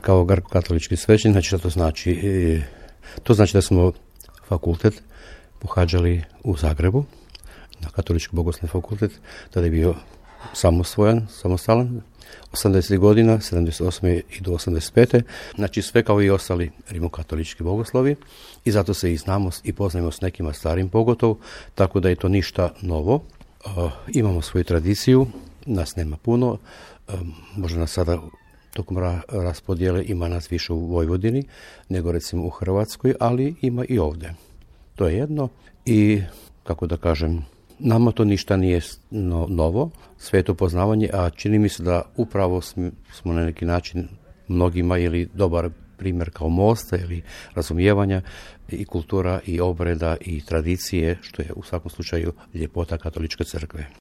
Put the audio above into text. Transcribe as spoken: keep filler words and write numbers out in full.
kao grko-katolički svećenik. Znači što to znači? To znači da smo fakultet pohađali u Zagrebu, na katolički bogoslovni fakultet, tada je bio samosvojan, samostalan, osamdesetih godina, sedamdeset osme i do osamdeset pete Znači sve kao i ostali rimokatolički bogoslovi i zato se i znamo i poznajemo s nekima starim pogotovo, tako da je to ništa novo. Uh, imamo svoju tradiciju, nas nema puno, uh, možda nas sada tokom ra- raspodjele ima nas više u Vojvodini nego recimo u Hrvatskoj, ali ima i ovdje. To je jedno i, kako da kažem, nama to ništa nije no, novo, sve je to poznavanje, a čini mi se da upravo smo na neki način mnogima ili dobar primjer kao mosta ili razumijevanja i kultura i obreda i tradicije, što je u svakom slučaju ljepota katoličke crkve.